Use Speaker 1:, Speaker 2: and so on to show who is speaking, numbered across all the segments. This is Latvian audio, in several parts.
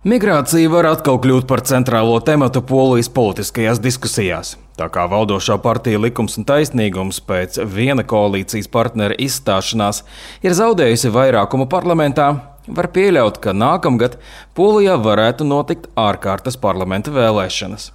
Speaker 1: Migrācija var atkal kļūt par centrālo tematu Polijas politiskajās diskusijās. Tā kā valdošā partija Likums un taisnīgums pēc viena koalīcijas partnera izstāšanās ir zaudējusi vairākumu parlamentā, var pieļaut, ka nākamgad Polijā varētu notikt ārkārtas parlamenta vēlēšanas.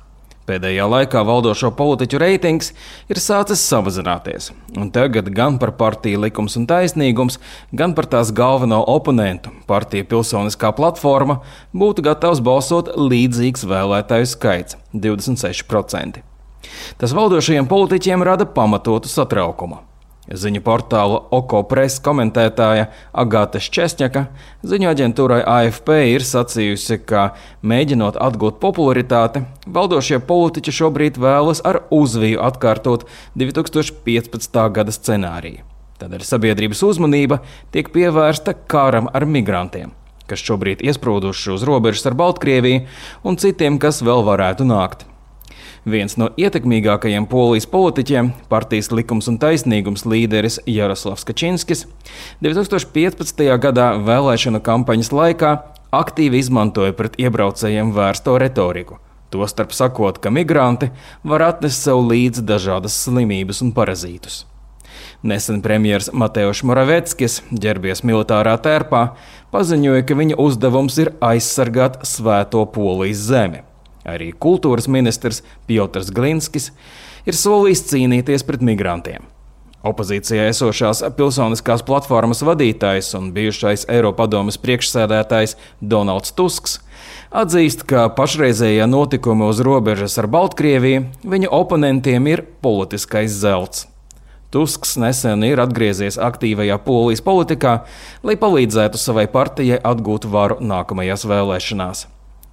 Speaker 1: Pēdējā laikā valdošo politiķu reitings ir sācis samazināties, un tagad gan par partiju Likums un taisnīgums, gan par tās galveno oponentu, partija Pilsoniskā platforma, būtu gatavs balsot līdzīgs vēlētāju skaits – 26%. Tas valdošajiem politiķiem rada pamatotu satraukumu. Ziņu portāla Oko Press komentētāja Agata Ščesņaka ziņu aģentūrai AFP ir sacījusi, ka, mēģinot atgūt popularitāti, valdošie politiķi šobrīd vēlas ar uzviju atkārtot 2015. gada scenāriju. Tādēļ sabiedrības uzmanība tiek pievērsta karam ar migrantiem, kas šobrīd iesprūduši uz robežas ar Baltkrieviju un citiem, kas vēl varētu nākt. Viens no ietekmīgākajiem Polijas politiķiem, partijas Likums un taisnīgums līderis Jaroslavs Kačinskis, 2015. gadā vēlēšanu kampaņas laikā aktīvi izmantoja pret iebraucējiem vērsto retoriku, tostarp sakot, ka migranti var atnest sev līdzi dažādas slimības un parazītus. Nesen premjers Mateuš Moraveckis, ģērbies militārā tērpā, paziņoja, ka viņa uzdevums ir aizsargāt svēto Polijas zemi. Arī kultūras ministrs Piotrs Glinskis ir solījis cīnīties pret migrantiem. Opozīcijā esošās Pilsoniskās platformas vadītājs un bijušais Eiropadomes priekšsēdētājs Donalds Tusks atzīst, ka pašreizējie notikumi uz robežas ar Baltkrieviju viņa oponentiem ir politiskais zelts. Tusks nesen ir atgriezies aktīvajā Polijas politikā, lai palīdzētu savai partijai atgūt varu nākamajās vēlēšanās.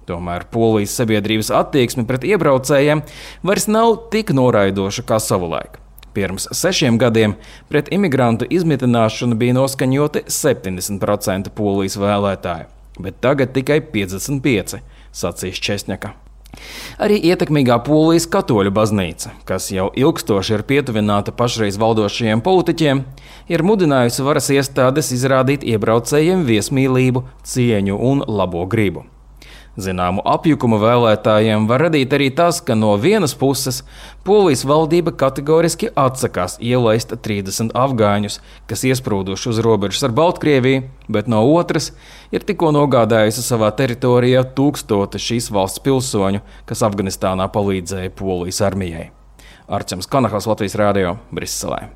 Speaker 1: Tomēr Polijas sabiedrības attieksme pret iebraucējiem vairs nav tik noraidoša kā savulaik. Pirms 6 gadiem pret imigrantu izmitināšanu bija noskaņoti 70% Polijas vēlētāju, bet tagad tikai 55%, sacīs Ščesņaka. Arī ietekmīgā Polijas katoļu baznīca, kas jau ilgstoši ir pietuvināta pašreiz valdošajiem politiķiem, ir mudinājusi varas iestādes izrādīt iebraucējiem viesmīlību, cieņu un labo gribu. Zināmu apjukumu vēlētājiem var radīt arī tas, ka no vienas puses Polijas valdība kategoriski atsakās ielaist 30 afgāņus, kas iesprūduši uz robežas ar Baltkrieviju, bet no otras ir tikko nogādājusi savā teritorijā 1000 šīs valsts pilsoņu, kas Afganistānā palīdzēja Polijas armijai. Arčams Kanahals, Latvijas Rādio, Briselē.